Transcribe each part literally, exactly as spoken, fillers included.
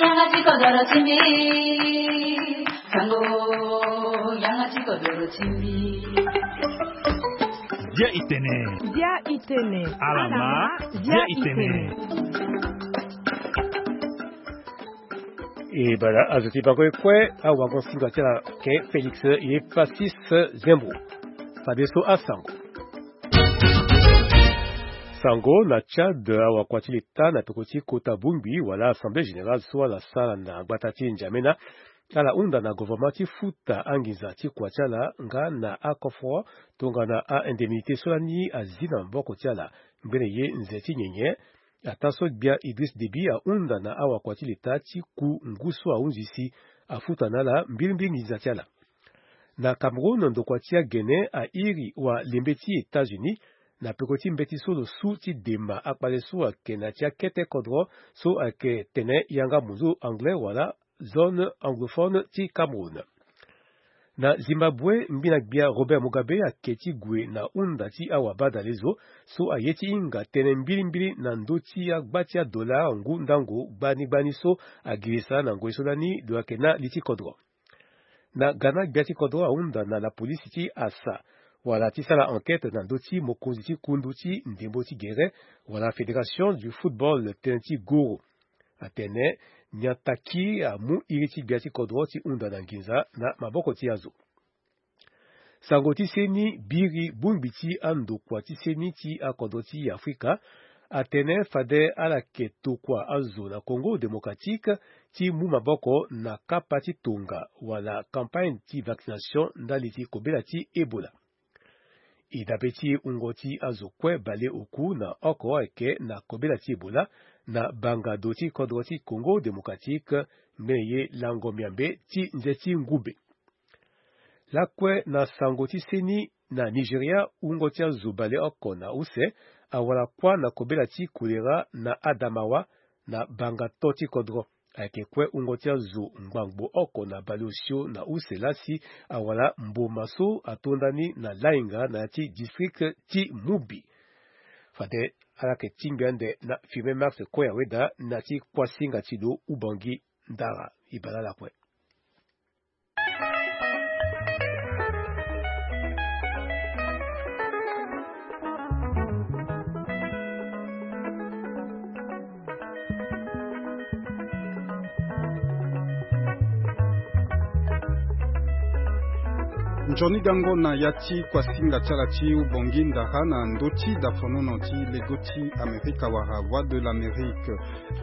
Yanga ti kodoro ti mbi. Sango, yanga ti kodoro ti mbi. Dia itene. Dia itene. Alama, dia itene. E bala azo ti bango e kue awago singa ti ala ke Félix ye Pacis Zembo. Fadeso asango. Sango na Tchad, awakua ti leta na peko ti kota bongbi wala Assemblée Générale so ala sara na gbata ti N'Djamena, ala hunda na gouvernement ti futa anginza ti kua ti ala nga na akofro tongana a-indemnité so lani azi na maboko ti ala ngbene ye nze ti nyenye. Ataa so gbia Idriss Déby ahunda na awakua ti leta ti ku ngu so ahunzi si afuta na ala mbilimbili nginza ti ala. Na Cameroun, ndokua ti agene airi walembe ti États-Unis na peko ti mbeti so lo su ti dema akpale so ayeke na ya ti akete kodro so ayeke tene yanga munzu anglais wala zone anglophone ti Cameroun. Na Zimbabwe, ngbina gbia Robert Mugabe ayeke ti gue na hunda ti awabadalezo so aye ti hinga tënë mbilimbili na ndö ti agba ti adollar ngu ndango gbani gbani so agirisa na ngoi so lani lo yeke na li ti kodro. Na Ghana, gbia ti kodro ahunda na lapolisi ti asa wala ti sara enquête na ndö ti mokonzi ti kundu ti ndembo ti gere wala Fédération du Football tënë ti goro. Atene nyataki amu iri ti gbia ti kodro ti hunda na nginza na maboko ti azo. Sango ti seni biri bongbi ti andokua ti seni ti akodro ti Afrika atene fade ala yeke tokua azo na Congo Démocratique ti mu maboko na kapa ti tonga wala campagne ti vaccination ndali ti kobela ti Ebola. E dabe ti wungo ti azo kue baleoku na oko ayeke na kobela ti Ebola na bangado ti kodro ti Congo Démocratique ngbene ye lango miambe ti nze ti ngumbe. Lakue na sango ti seni na Nigeria, wungo ti azo baleoko na use awara kuâ na kobela ti kolera na Adamawa na banga to ti kodro. Ayeke kue wungo ti azo ngbangbo oko na baleosio na use lasi awara mboma so atonda ni na lainga na ya ti district ti Mubi. Fade ala yeke tingbi ande na Firmin Max Koyaweda na ya ti kuasinga ti lo Ubangi Ndara. E bale ala kue. Nzoni gango na ya ti kuasinga ti ala ti Ubangi Ndara na ndö ti dafonono ti lego ti Amerika wala Voix de l'Amérique.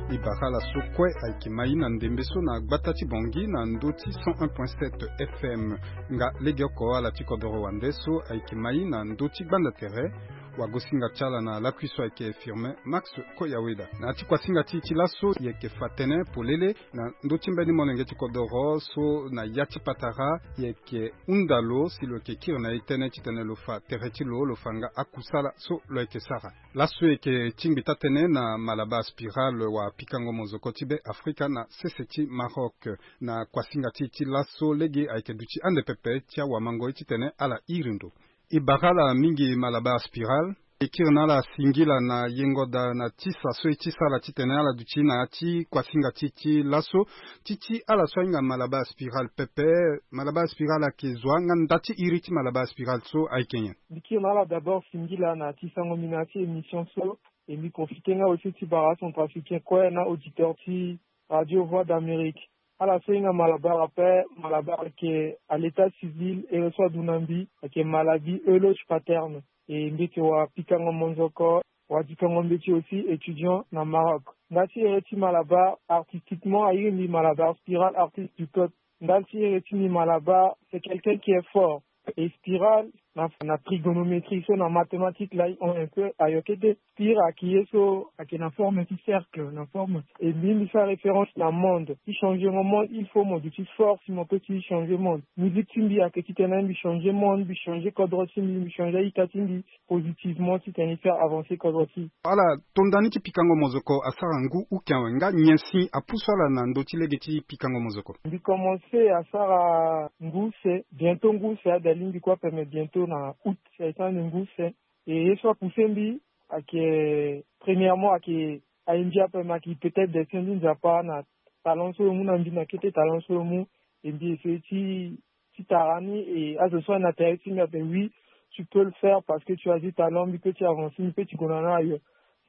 E bara ala so kue ayeke mai na ndembe so na gbata ti Bangi na ndö ti cent un point sept F M. Nga legeoko ala ti kodoro wande so ayeke mai na ndö ti gbanda tere. Wagosinga ti ala na lakui so ayeke Firmin Max Koyaweda. Na ya ti kuasinga ti e ti laso e yeke fa tënë polele na ndö ti mbeni molenge ti kodoro so na ya ti patara e yeke hunda lo si lo yeke kiri na e tënë titene lo fa tere ti lo, lo fa nga akusala so lo yeke sara. Laso e yeke tingbi taa-tënë na Malabar Spiral wa pikango mozoko ti Be Afrika na sese ti Maroc. Na kuasinga ti e ti laso lege ayeke duti ande pepe ti awamangoi titene ala iri ndo. E bara ala mingi Malabar Spiral. E kiri na ala singila na yengo daa na tisa so e ti sara titene ala duti na ya ti kuasinga ti e ti laso. Ti ti ala so ahinga Malabar Spiral pepe, Malabar Spiral ayeke zo nga nda ti iri ti Malabar Spiral so ayeke nyen? Mbi kiri na ala d'abord singila na ya ti sango mbi na ya ti émission so. E mbi profite nga aussi ti bara acentrafricain kue na auditeur ti Radio Voix d'Amérique. Ala so hinga Malabar ape, Malabar ayeke à l'état civil, ere so adu na mbi ayeke maladie euloge paterne. E mbeti wa pikango monzoko, wa dikango mbeti aussi étudiant na Maroc. Nda ti ere ti Malabar, artistiquement airi mbi Malabar Spiral, artiste du peuple. Nda ti ere ti mbi Malabar, c'est quelqu'un qui est fort. E Spiral na, na trigonométrie so na mathématique la, on un peu ayo kete. Spira ayeke ye so ayeke na forme ti cercle, na forme. E mbi mbi sara référence na monde. Ti changer mo monde, il faut mo duti force mo peut ti changer monde. Musique ti mbi ayeke titene mbi changer monde, mbi changer kodro ti mbi, mbi changer a-ita ti mbi positivement titene e faire avancer kodro ti. Ala tonda ni ti pikango mozoko asara ngu uke awe, nga nyen si apusu ala na ndö ti lege ti pikango mozoko? Mbi commencer asara ngu use, bientôt ngu use, ade alingbi kue ape, mais bientôt na août si aye ti ande ngu use. E ye so apousser mbi ayeke, premièrement ayeke aye mbi ape, mais ayeke peut-être destin ti Nzapa na talent so lo mu na mbi, na kete talent so lo mu. E mbi essayer ti ti tara ni, et azo so ana tara ti mbi ape, oui, tu peux le faire parce que tu as du talent, mbi peut ti avancer, mbi peut ti gue na ni ailleurs.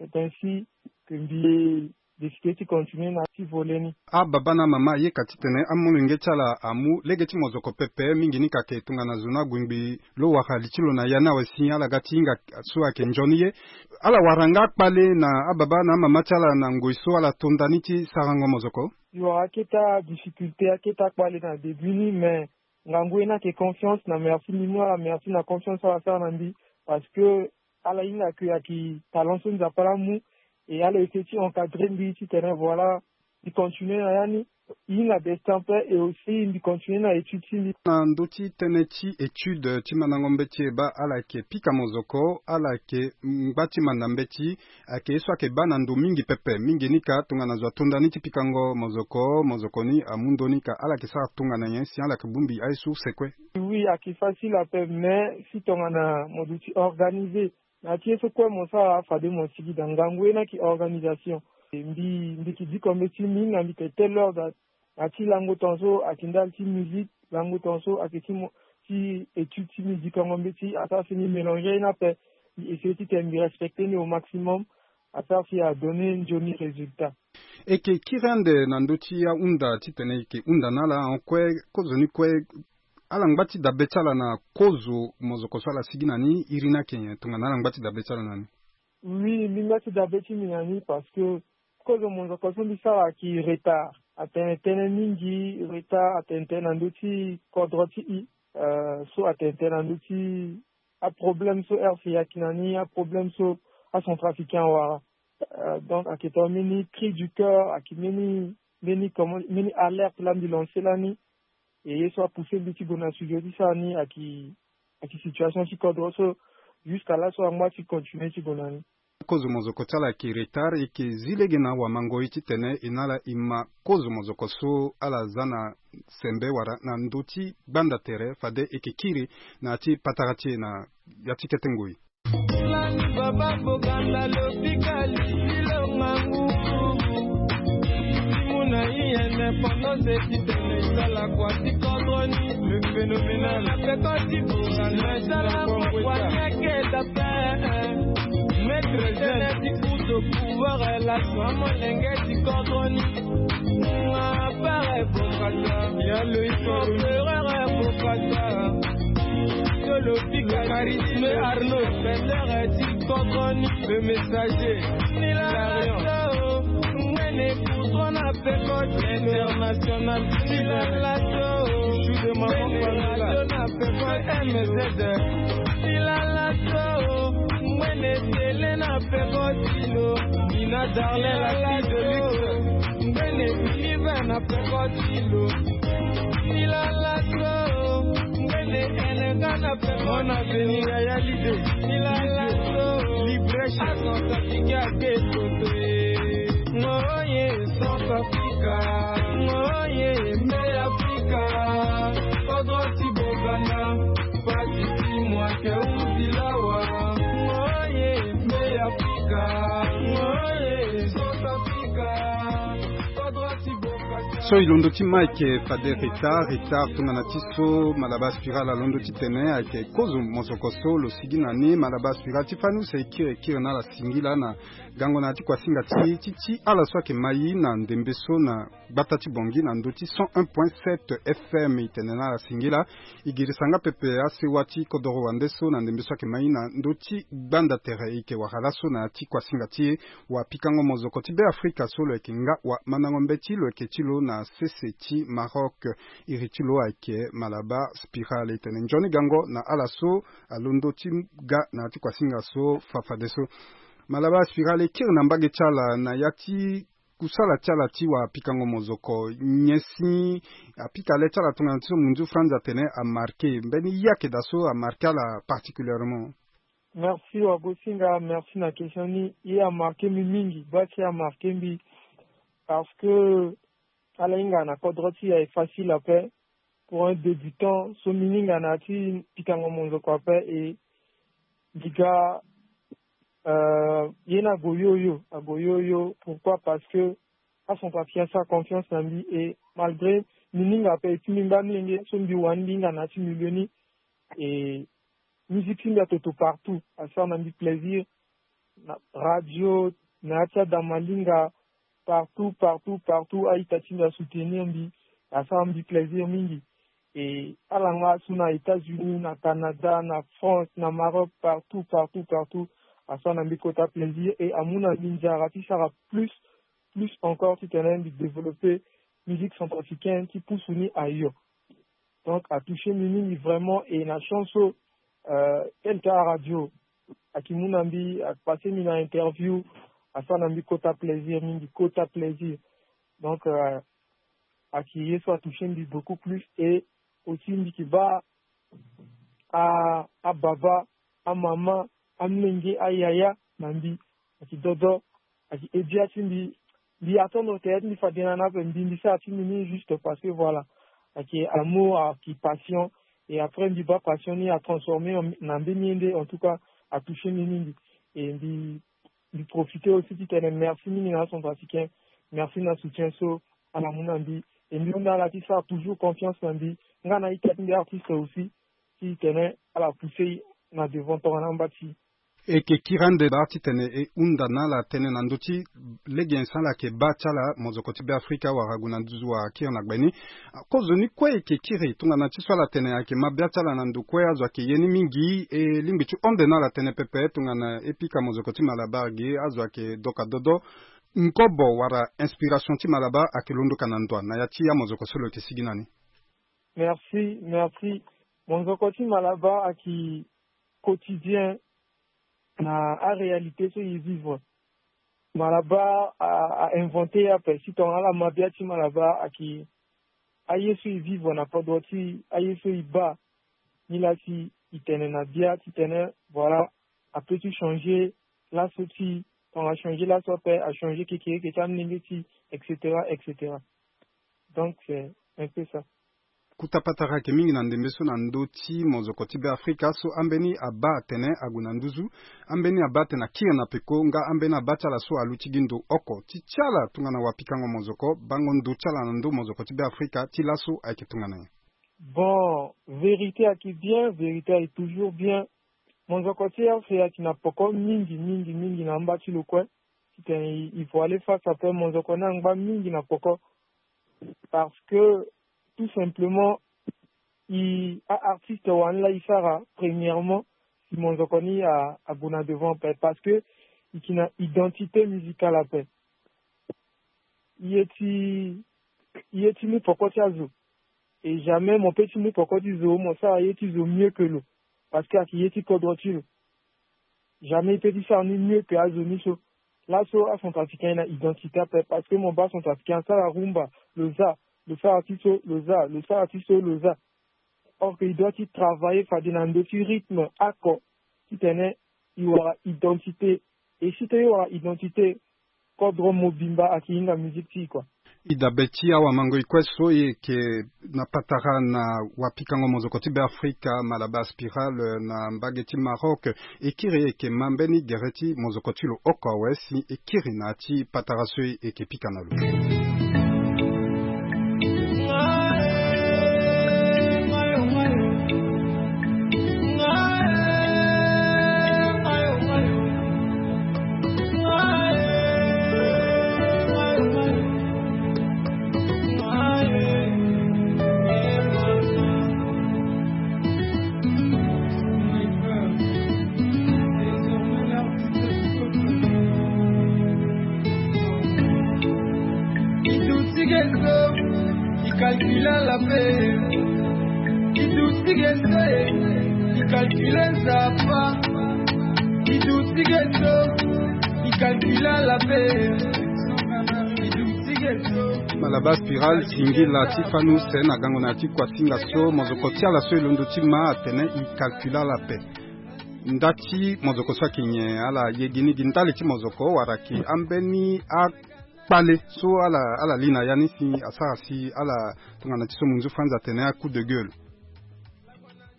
C'est ainsi que mbi décidé ti continuer na ti volet ni. Ababa na amama ayeka titene amolenge ti ala amu lege ti mozoko pepe mingi ni ka ke tongana zo ni ague ngbii lo wara li ti lo na ya ni awe si ala ga ti hinga so ayeke nzoni ye. Ala wara nga akpale na ababa na amama ti ala na ngoi so ala to nda ni ti sarango mozoko? Yo, akete adifficulté, akete akpale na début ni, mais ngangu ye ni ayeke confiance. Na merci mbi mu ala merci na confiance so ala sara na mbi, parce que ala hinga ke ayeke talent so Nzapa laa amu, et ala essayer ti encadrer mbi titene voilà, mbi continuer na ya ni. E hinga destin ape, et aussi mbi continuer na étude ti mbi. Na ndö ti tënë ti étude ti mandango mbeti e baa, ala yeke pika mozoko, ala yeke ngba ti manda mbeti, ayeke ye so ayeke baa na ndo mingi pepe. Mingi ni ka tongana zo ato nda ni ti pikango mozoko, mozoko ni amu ndo ni ka ala yeke sara tongana nyen si ala yeke bongbi aye source kue? Oui, ayeke facile ape, mais si tongana mo duti organiser na ya ti ye so kue mo sara, fade mo sigi daa. Ngangu ye ni ayeke organisation. Mbi, mbi yeke diko mbeti, mbi hinga mbi yeke telle heure daa. Na ya ti lango tongaso ayeke ndali ti musique, lango tongaso ayeke ti mo, ti étude ti mbi, dikango mbeti, asara si mbi mélanger ye ni ape. Mbi essayer titene mbi respecter ni au maximum, asara si adonner nzoni résultat. E yeke kiri ande na ndö ti ahunda titene e yeke hunda na ala en kue, kozo ni kue, ala ngba ti dabe ti ala na kozo mozoko so ala sigi na ni, iri ni ayeke nyen tongana ala ngba ti dabe ti ala na ni? Oui, mbi ngba ti dabe ti mbi na ni parce que kozo mozoko so mbi sara ayeke retard. Atene tënë mingi, retard atene tënë na ndö ti kodro ti e, euh, so atene tënë na ndö ti aproblème so R C A ayeke na ni, aproblème so acentrafricain awara. Euh, donc ayeke tongana mbeni cri du cœur, ayeke mbeni, mbeni comment, mbeni alerte laa mbi lancer lani. E ye so apousser mbi ti gue na studio ti sara ni ayeke, ayeke situation ti kodro so, jusqu'à laso angba ti continuer ti gue na ni. Kozo mozoko ti ala ayeke retard, e yeke zi lege na awamangoi titene e na ala e ma kozo mozoko so ala za na sembe wala na ndö ti gbanda tere, fade e yeke kiri na ya ti patara ti e na ya ti kete ngoi. Lani baba boganda lo pika lisilo ngangu. Muna i indépendance ti tene sala kua ti kodro ni. Le phénoménal. Na peko ti boganda sala kua kua ni ayeke dape. Maître jeune ti kuto pouvoir laso amolenge ti kodro ni. Nga pere bokasa. Ya Loïc Ferreur bokasa. Tolo pika charisme Arnaud. Bendere ti kodro ni. Le messager. Nilala so. Ngwene kutro na peko ti international. Nilala so. Joue de maman Pamela. Na peko M Z. Nilala so. Ngwene tele na peko ti lo. Nina Darlene la fille de luxe. Ngbene Oliver na peko ti lo. Nilala so. Ngbene Enenga na peko. Mon avenir ya ya lide. Nilala so. Libreche. Asansa tiki ake kote. Ngoye Centre Africa. Ngoye Mbe Africa. Kodro ti bogana. Pasi ti mwake uzilawa. Ngoye Mbe Africa. Ngoye Centre Africa. So e londo ti Mike fade retard, retard tongana ti so Malabar Spiral alondo ti tene ayeke kozo mosoko so lo sigi na ni. Malabar Spiral ti fani use e kiri e kiri na ala singila na gango na ya ti kuasinga ti e ti ti ala so ayeke ma e na ndembe so na gbata ti Bangui na ndö ti cent un point sept F M. E tene na ala singila. E girisa nga pepe asewa ti kodoro wande so na ndembe so ayeke ma e na ndö ti gbanda tere. E yeke wara laso na ya ti kuasinga ti e. Wapikango mozoko ti Beafrika so lo yeke nga wamandango mbeti lo yeke ti lo na sese ti Maroc. Iri ti lo ayeke Malabar Spiral. E tene nzoni gango na ala so alondo ti ga na ya ti kuasinga so fafadeso. Malabar Spiral, e kiri na mbage ti ala na ya ti kusala ti ala ti wapikango mozoko, nyen si apika le ti ala tongana ti so munzu Franz atene amarke, mbeni ye ayeke daa so amarke ala particulièrement? Merci Wagosinga, merci na question ni. Ye amarke mbi mingi, baa ti ye amarke mbi parce que ala hinga na kodro ti e aye facile ape. Pour un débutant so mbi hinga na ya ti pikango monzoko ape, e mbi ga, euh, ye ni ague yo yo, ague yo yo. Pourquoi? Parce que Acentrafricain asara confiance na mbi, et malgré mbi hinga ape, et ti mbi mbi amilenge so mbi wani mbi hinga na ya ti milieu ni, et musique ti mbi atoto partout, asara na mbi plaisir. Na radio, na ya ti adamalinga, partout, partout, partout, a-ita ti mbi asoutenir mbi, asara mbi plaisir mingi. Et ala nga so na États-Unis, na Canada, na France, na Maroc, partout, partout, partout, asara na mbi kota plaisir et amu na mbi nzara ti sara plus, plus encore, titene mbi développer musique centrafricaine ti pusu ni ailleurs. Donc atoucher mbi mingi vraiment, et na chance so, euh, tel cas radio aki mu na mbi, apasser mbi na interview, asara na mbi kota plaisir mingi, kota plaisir. Donc, euh, aki ye so atoucher mbi beaucoup plus, et aussi mbi ki baa a, ababa, amama, amenge, ayaya na mbi, aki dodo, aki aide ya ti mbi. Mbi attendre tere ti mbi fade na ni ape, mbi, mbi sara ti mbi ni juste parce que voilà, aki amour, aki passion, et après mbi baa passion ni atransformer en, na mbeni ye nde, en tout cas atoucher mbi mingi. Et mbi, mbi profiter aussi titene merci mingi na acentrafricain, merci na soutien so ala mu na mbi, et mbi hunda ala ti sara toujours confiance na mbi, nga na ita ti mbi artiste aussi, titene ala pousser na devant tongana amba ti. E yeke kiri ande baa titene e hunda na ala tënë na ndö ti lege nyen so ala yeke baa ti ala, mozoko ti Beafrika wala ague na nduzu wala akiri na gbe ni. Kozoni kue e yeke kiri tongana ti so ala tene ayeke ma bia ti ala na ndo kue, azo ayeke ye ni mingi, e lingbi ti hon nde na ala tënë pepe tongana e pika mozoko ti Malabar ge, azo ayeke doka dodo. Ngobo wala inspiration ti Malabar ayeke londo ka na ndo wa na ya ti amozoko so lo yeke sigi na ni? Merci, merci. Mozoko ti Malabar ayeke quotidien na aréalité so e vivre. Malabar a, a inventé ape si tongana ala ma bia ti Malabar ayeke aye so e vivre na kodro ti e, aye so e baa. Ni laa si e tene na bia titene voilà, apeut ti changer laso ti e, tongana achanger laso ape, achanger kekereke ti amolenge ti e, et cetera, et cetera. Donc c'est un peu ça. Kota patara ayeke mingi na ndembe so na ndö ti mozoko ti Beafrika so ambeni abaa atene ague na nduzu, ambeni abaa atene akiri na peko, nga ambeni abaa ti ala so aluti gi ndo oko. Ti ti ala tongana wapikango mozoko, bango ndo ti ala na ndö mozoko ti Beafrika ti laso ayeke tongana nyen? Bon, vérité ayeke bien, vérité ayeke toujours bien. Mozoko ti R C ayeke na poko mingi, mingi, mingi na amba ti lo kue. Titene e, e voile face ape, mozoko ni angba mingi na poko. Parce que, tout simplement, e, a-artiste wani laa e sara, premièrement, si mozoko ni a, ague na devant ape. Parce que e yeke na identité musicale ape. E ye ti, e ye ti mu poko ti azo. Et jamais mo peut ti mu poko ti zo, mo sara ye ti zo mieux que lo. Parce que ayeke ye ti kodro ti lo. Jamais e peut ti sara ni mieux que azo ni so. Laso acentrafricain e na identité ape, parce que mo baa centrafricain asara rumba, lo za, lo sara ti so, lo za, lo sara ti so, lo za. Or que e doit ti travailler fade na ndö ti rythme oko, titene e wara identité. Et si tene e wara identité, kodro mobimba ayeke hinga musique ti e, quoi. E dabe ti awamangoi kue so e yeke na patara na wapikango mozoko ti Beafrika, Malabar Spiral, na mbage ti Maroc. E kiri e yeke ma mbeni gere ti mozoko ti lo oko awe si e kiri na ya ti patara so e yeke pika na lo. Iduti geto, ikalkula la pe. Iduti geto, ikalkula nzapa. Iduti geto, ikalkula la pe. Iduti geto. Malabar Spiral, singila ti fani use na gango na ya ti kuasinga so, mozoko ti ala so e londo ti ma atene ikalkula la pe. Nda ti mozoko so ayeke nyen? Ala ye gi ni gi ndali ti mozoko wala ayeke ambeni akpale so ala, ala li na ya ni si asara si ala tongana ti so munzu Franz atene a coup de gueule?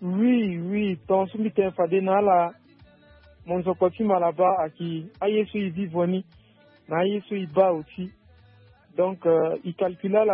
Oui, oui, tongaso mbi tene fade na ala, mozoko ti Malabar ayeke aye so e vivre ni na aye so e baa oti. Donc, euh, il calcula la